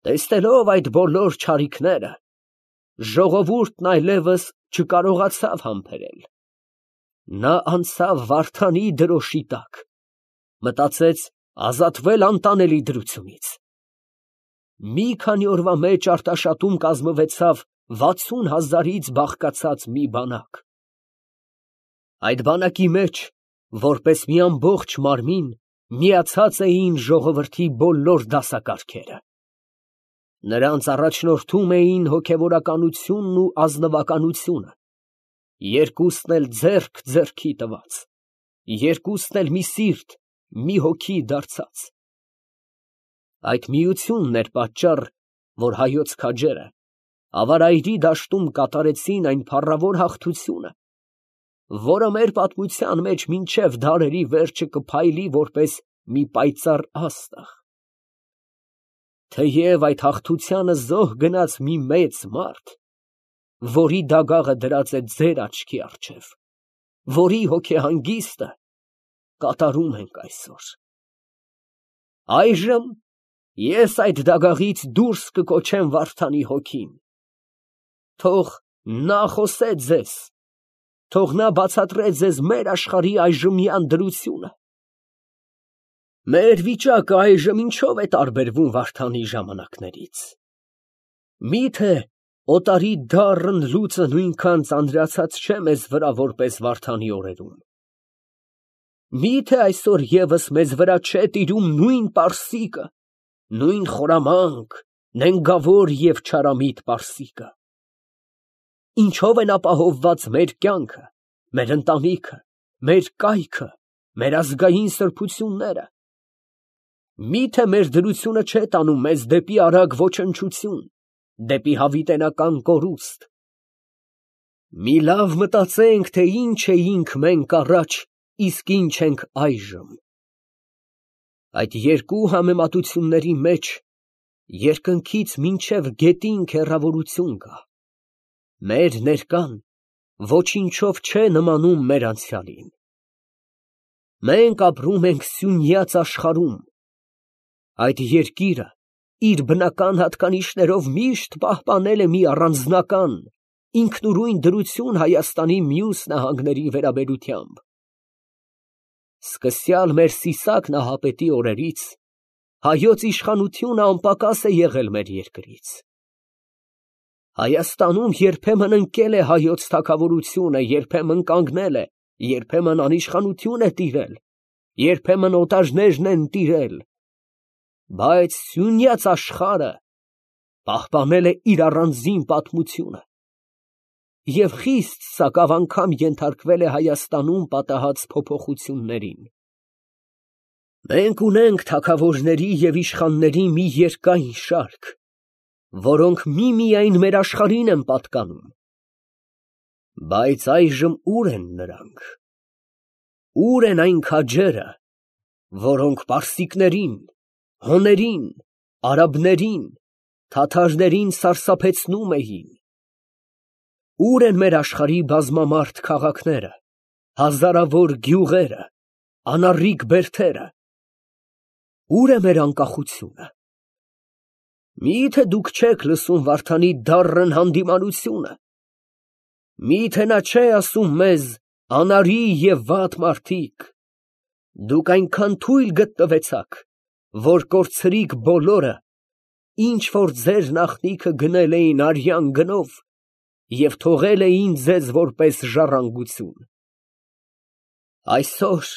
Տեսնելով այդ բոլոր չարիքները, ժողովուրդն այլևս չկարողացավ համբերել։ Նա անցավ Վարդանի դրոշի տակ, մտածեց ազատվել անտանելի դրությունից։ Մի քանի օրվա մեջ Արտաշատում կազմվեցավ 60,000-ից բաղկացած մի բանակ։ Այդ բանակի մեջ, որպես մի ամբողջ մարմին, միացած էին ժողովրդի բոլոր դասակարգերը։ Նրանց առաջնորդում էին հոգևորականությունն ու ազնվականությունը, երկուսն էլ ձեռք ձեռքի տված, երկուսն էլ մի սիրտ, մի հոգի դարձած։ Այդ միությունն էր պատճառ, որ հայոց քաջերը Ավարայրի դաշտում կատարեցին այն փառավոր հաղթությունը, որը մեր պատմության մեջ մինչև դարերի վերջը կփայլի որպես մի պայծառ աստղ։ Թեև այդ հաղթությանը զոհ գնաց մի մեծ մարդ, որի դագաղը դրած է ձեր աչքի առջև, որի հոգեհանգիստը կատարում ենք այսօր։ Այժմ ես այդ դագաղից դուրս կկոչեմ Վարդանի հոգին։ Թող նա խոսե ձեզ, թող նա բացատրե ձեզ մեր աշխարհի այժմյան դրությունը։ Մեր վիճակը այժմ ինչով է տարբերվում Վարդանի ժամանակներից։ Միթե օտարի դառն լուծը նույնքան ծանրացած չէ մեզ վրա, որպես Վարդանի օրերում։ Միթե այսօր ևս մեզ վրա չէ տիրում նույն պարսիկը, նույն խորամանկ, նենգավոր և չարամիտ պարսիկը։ Ինչով են ապահովված մեր կյանքը, մեր ընտանիքը, մեր կայքը, մեր ազգային սրբությունները։ Միթե մեր դրությունը չէ տանում մեզ դեպի արագ ոչնչություն, դեպի հավիտենական կորուստ։ Մի լավ մտածենք, թե ինչ էինք մենք առաջ, իսկ ինչ ենք այժմ։ Այդ երկու համեմատությունների մեջ երկնքից մինչև գետինք հեռավորություն կա։ Մեր ներկան ոչինչով չէ նմանում մեր անցյալին։ Մենք ապրում ենք սյունյաց աշխարհում։ Այդ երկիրը իր բնական հատկանիշներով միշտ պահպանել է մի առանձնական, ինքնուրույն դրություն Հայաստանի մյուս նահանգների վերաբերությամբ։ Սկսյալ մեր Սիսակ նահապետի օրերից հայոց իշխանությունը անպակաս է եղել մեր երկրից։ Հայաստանում երբեմն ընկել է հայոց թագավորությունը, երբեմն կանգնել է, երբեմն անիշխանություն է տիրել, երբեմն օտարներն են տիրել, բայց սյունյաց աշխարհը պահպանել է իր առանձին պատմությունը և խիստ սակավ անգամ ենթարկվել է Հայաստանում պատահած փոփոխություններին։ Մենք ունենք թագավորների և իշխանների մի երկայն շարք, որոնք միմիայն մեր աշխարհին են պատկանում։ Բայց այժմ ուր են նրանք։ Ուր են այն քաջերը, որոնք պարսիկներին, հոներին, արաբներին, թաթարներին սարսափեցնում էին։ Ուր են մեր աշխարհի բազմամարդ քաղաքները, հազարավոր գյուղերը, անառիկ բերդերը։ Ուր է մեր անկախությունը։ Միթե դուք չեք լսում Վարդանի դառն հանդիմանությունը։ Միթե նա չէ ասում մեզ. անարի և վատ մարդիկ, դուք այնքան թույլ գտնվեցաք, որ կորցրիք բոլորը, ինչ որ ձեր նախնիքը գնել էին արյան գնով և թողել էին ձեզ որպես ժառանգություն։ Այսօր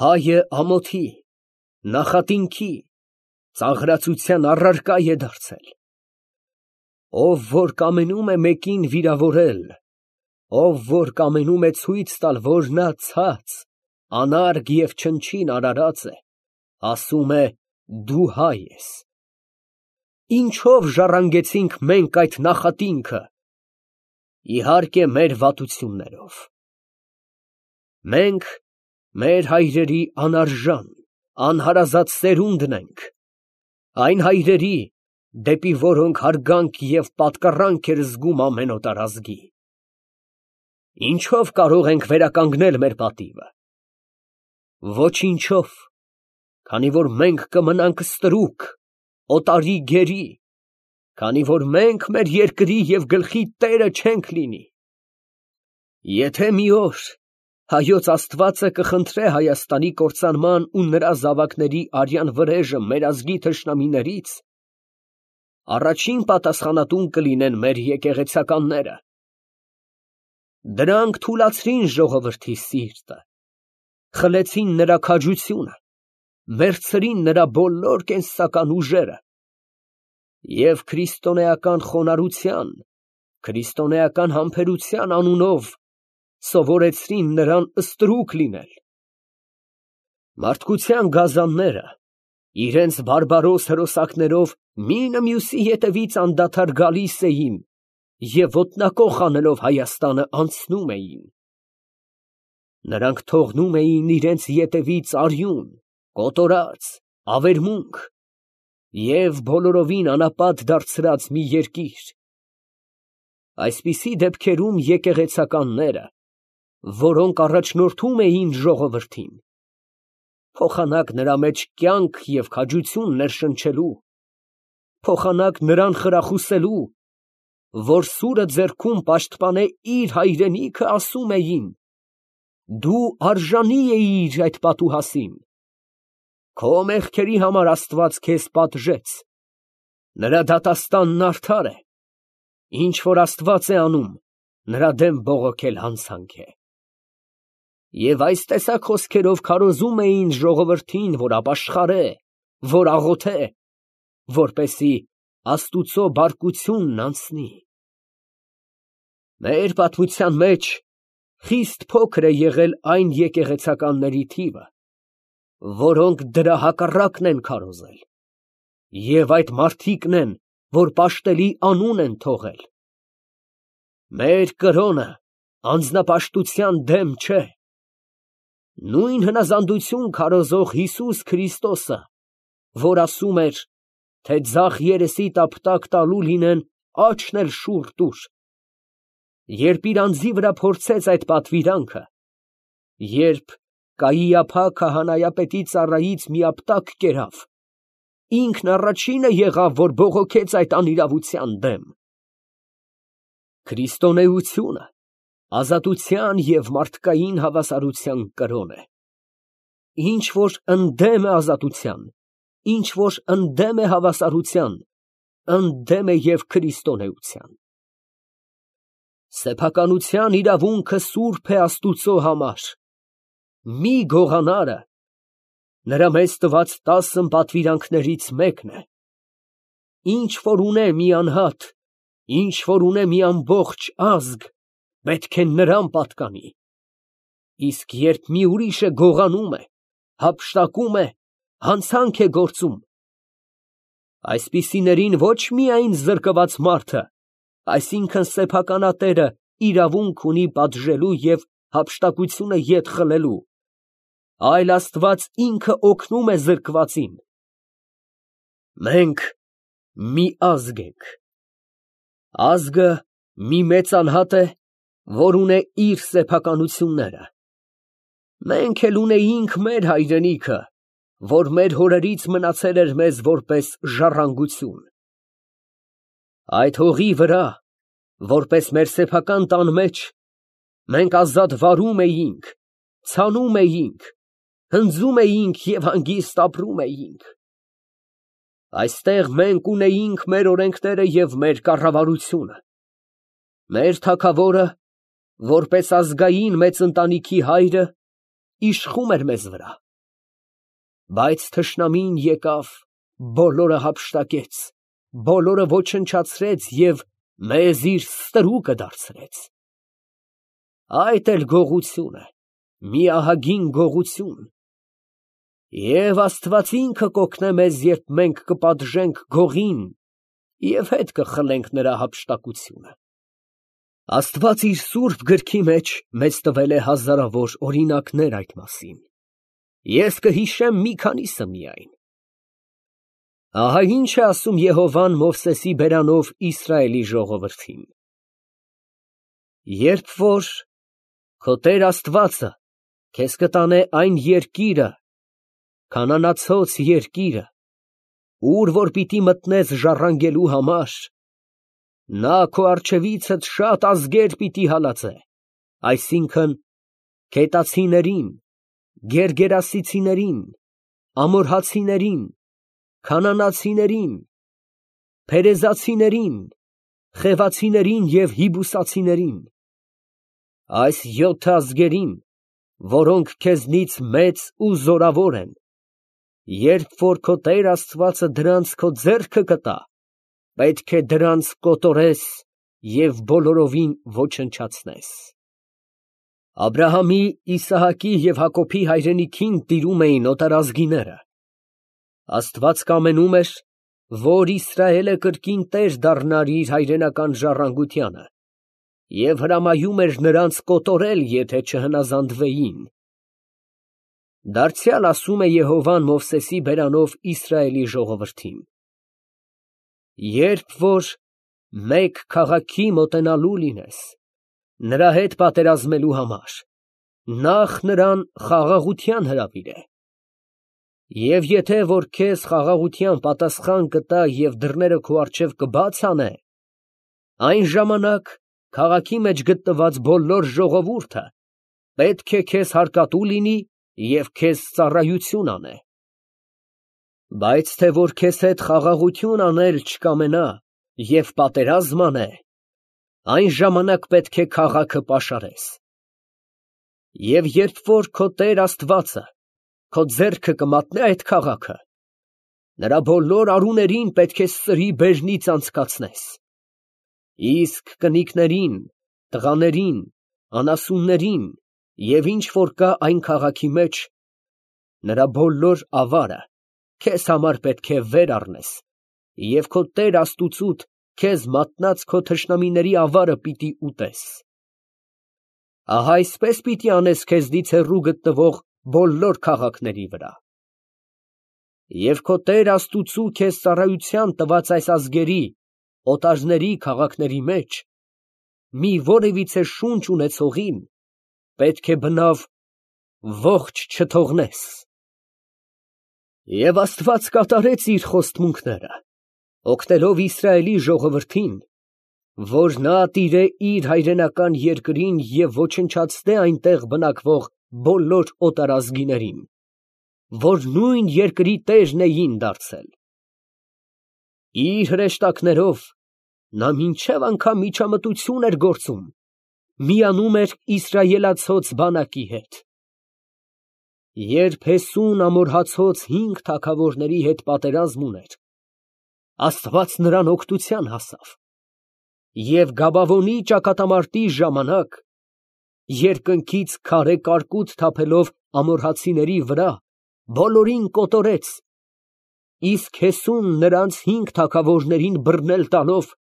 հայը ամոթի, նախատինքի, ծաղրածության առարկա է դարձել։ Ով որ կամենում է մեկին վիրավորել, ով որ կամենում է ցույց տալ, որ նա ցած, անարգ և չնչին արարած է, ասում է դու հայ ես։ Ինչով ժառանգեցինք մենք այդ նախատինքը։ Իհարկե մեր վատություններով։ Մենք մեր հայրերի անարժան, անհարազատ սերունդն ենք, այն հայրերի, դեպի որոնք հարգանք և պատկառանք էր զգում ամեն օտար ազգի։ Ինչով կարող ենք վերականգնել մեր պատիվը։ Ոչինչով, քանի որ մենք կմնանք ստրուկ, օտարի գերի, քանի որ մենք մեր երկրի և գլխի տերը չենք լինի։ Եթե մի օր հայոց Աստվածը կխնդրե Հայաստանի կործանման ու նրա զավակների արյան վրեժը մեր ազգի թշնամիներից, առաջին պատասխանատուն կլինեն մեր եկեղեցականները։ Դրանք թուլացրին ժողովրդի սիրտը, խլեցին նրա քաջությունը, մերձրին նրա բոլոր կենսական ուժերը և քրիստոնեական խոնարհության, քրիստոնեական համբերության անունով սովորեցրին նրան ստրուկ լինել։ Մարդկության գազանները իրենց բարբարոս հրոսակներով մինը մյուսի ետևից անդադար գալիս էին և ոտնակոխ անելով Հայաստանը անցնում էին։ Նրանք թողնում էին իրենց ետևից արյուն, կոտորած, ավերմունք և բոլորովին անապատ դարձրած մի երկիր։ Այսպիսի դեպքերում եկեղեցականները, որոնք առաջնորդում էին ժողովրդին, փոխանակ նրա մեջ կյանք և քաջություն ներշնչելու, փոխանակ նրան խրախուսելու, որ սուրը ձեռքում պաշտպանե իր հայրենիքը, ասում էին. «Դու արժանի էիր այդ պատուհասին, քո մեղքերի համար Աստված քեզ պատժեց, նրա դատաստանն արդար է, ինչ որ Աստված է անում, նրա դեմ բողոքել հանցանք է»։ Եվ այս տեսակ խոսքերով քարոզում էին ժողովրդին, որ ապաշխարե, որ աղոթե, որպեսզի Աստուծո բարկությունն անցնի։ Մեր պատմության մեջ խիստ փոքր է եղել այն եկեղեցականների թիվը, որոնք դրա հակառակն են քարոզել, և այդ մարդիկն են, որ պաշտելի անուն են թողել։ Մեր կրոնը անձնապաշտության դեմ չէ։ Նույն հնազանդություն քարոզող Հիսուս Քրիստոսը, որ ասում էր, թե ձախ երեսի տափտակ տալու լինեն, աջն էլ շուռ տուր, երբ իր անձի վրա փորձեց այդ պատվիրանքը, երբ Կայիափա քահանայապետի ծառայից մի ապտակ կերավ, ինքն առաջինը եղավ, որ բողոքեց այդ անիրավության դեմ։ Քրիստոնեությունը ազատության և մարդկային հավասարության կրոն է։ Ինչ որ ընդդեմ է ազատության, ինչ որ ընդդեմ է հավասարության, ընդդեմ է և քրիստոնեության։ Սեփականության իրավունքը սուրբ է Աստուծո համար։ Մի գողանարը նրա մեզ տված 10 պատվիրանքներից մեկն է։ Ինչ որ ունե մի անհատ, ինչ որ ունե մի ամբողջ ազգ, պետք է նրան պատկանի։ Իսկ երբ մի ուրիշը գողանում է, հափշտակում է, հանցանք է գործում, այսպիսիներին ոչ միայն զրկված մարդը, այսինքն սեփականատերը իրավունք ունի պատժելու և հափշտակությունը ետ խլելու, այլ Աստված ինքը օգնում է զրկվածին։ Մենք մի ազգ ենք։ Ազգը մի մեծ անհատ է, որ ունե իր սեփականությունները։ Մենք էլ ունեինք մեր հայրենիքը, որ մեր հորերից մնացել էր մեզ որպես ժառանգություն։ Այդ հողի վրա, որպես մեր սեփական տան մեջ, մենք ազատ վարում էինք, ցանում էինք, հնձում էինք և հանգիստ ապրում էինք։ Այստեղ մենք ունեինք մեր օրենքները և մեր կառավարությունը։ Մեր թագավորը, որպես ազգային մեծ ընտանիքի հայրը, իշխում էր մեզ վրա։ Բայց թշնամին եկավ, բոլորը հափշտակեց, բոլորը ոչնչացրեց և մեզ իր ստրուկը դարձրեց։ Այդ էլ գողություն է, մի ահագին գողություն։ Եվ Աստված ինքը կօգնե մեզ, երբ մենք կպատժենք գողին և հետ կխլենք նրա հափշտակությունը։ Աստված իր սուրբ գրքի մեջ մեզ տվել է հազարավոր օրինակներ այդ մասին։ Ես կհիշեմ մի քանիսը միայն։ Ահա ինչ է ասում Եհովան Մովսեսի բերանով Իսրայելի ժողովրդին. երբ որ քո Տեր Աստվածը քեզ կտանե այն երկիրը, քանանացոց երկիրը, ուր որ պիտի մտնես ժառանգելու համար, նա քո առջևիցդ շատ ազգեր պիտի հալածե, այսինքն քետացիներին, գերգերասիցիներին, ամորհացիներին, քանանացիներին, փերեզացիներին, խևացիներին և հիբուսացիներին, այս 7 ազգերին, որոնք քեզնից մեծ ու զորավոր են, երբ որ քո Տեր Աստվածը դրանց քո ձեռքը կտա, պետք է դրանց կոտորես և բոլորովին ոչնչացնես։ Աբրահամի, Իսահակի և Հակոբի հայրենիքին տիրում էին օտարազգիները։ Աստված կամենում էր, որ Իսրայելը կրկին տեր դառնար իր հայրենական ժառանգությանը և հրամայում էր նրանց կոտորել, եթե չհնազանդվեին։ Դարձյալ ասում է Եհովան Մովսեսի բերանով Իսրայելի ժողովրդին. «Երբ որ մեկ քաղաքի մոտենալու լինես, նրա հետ պատերազմելու համար, նախ նրան խաղաղության հրավիրե։ Եվ եթե որ քեզ խաղաղության պատասխան կտա և դռները քո առջև կբաց անե, այն ժամանակ քաղաքի մեջ գտնված բոլոր ժողովուրդը պետք է քեզ հարկատու լինի և քեզ ծառայություն անե։ Բայց թե որ քեզ հետ խաղաղություն անել չկամենա և պատերազմ անե, այն ժամանակ պետք է քաղաքը պաշարես։ Եվ երբ որ քո Տեր Աստվածը քո ձեռքը կմատնե այդ քաղաքը, նրա բոլոր արուներին պետք է սրի բերնից անցկացնես, իսկ կնիկներին, տղաներին, անասուններին և ինչ որ կա այն քաղաքի մեջ, նրա բոլոր ավարը քեզ համար պետք է վեր առնես և քո Տեր Աստուծուդ քեզ մատնած քո թշնամիների ավարը պիտի ուտես։ Ահա այսպես պիտի անես քեզնից հեռու գտնվող բոլոր քաղաքների վրա։ Եվ քո Տեր Աստուծու քեզ ծառայության տված այս ազգերի, օտարների քաղաքների մեջ մի որևիցե շունչ ունեցողին պետք է բնավ ողջ չթողնես»։ Եվ Աստված կատարեց իր խոստմունքները, օգնելով Իսրայելի ժողովրդին, որ նա տիրե իր հայրենական երկրին և ոչնչացնե այնտեղ բնակվող բոլոր օտարազգիներին, որ նույն երկրի տերն էին դարձել։ Իր հրեշտակներով նա մինչև անգամ միջամտություն էր գործում, միանում էր իսրայելացոց բանակի հետ։ Երբ Հեսուն ամորհացոց 5 թագավորների հետ պատերազմ ուներ, Աստված նրան օգնության հասավ, և Գաբավոնի ճակատամարտի ժամանակ երկնքից քարե կարկուտ թափելով ամորհացիների վրա, բոլորին կոտորեց, իսկ Հեսուն նրանց 5 թագավորներին բռնել տալով,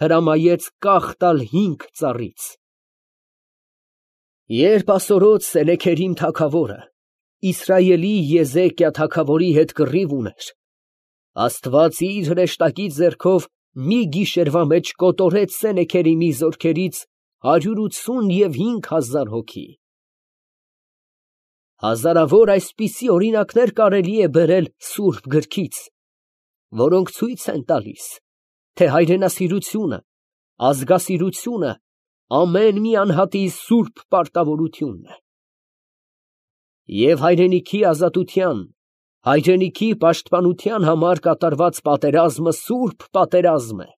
հրամայեց կախ տալ 5 ծառից։ Երբ ասորոց Սենեքերիմ թագավորը Իսրայելի Եզեկիա թագավորի հետ կռիվ ուներ, Աստված իր հրեշտակի ձեռքով մի գիշերվա մեջ կոտորեց Սենեքերիմի զորքերից 185,000 հոգի։ Հազարավոր այսպիսի օրինակներ կարելի է բերել Սուրբ Գրքից, որոնք ցույց են տալիս, թե հայրենասիրությունը, ազգասիրությունը ամեն մի անհատի սուրբ պարտավորությունն է։ Եվ հայրենիքի ազատության, հայրենիքի պաշտպանության համար կատարված պատերազմը սուրբ պատերազմ է,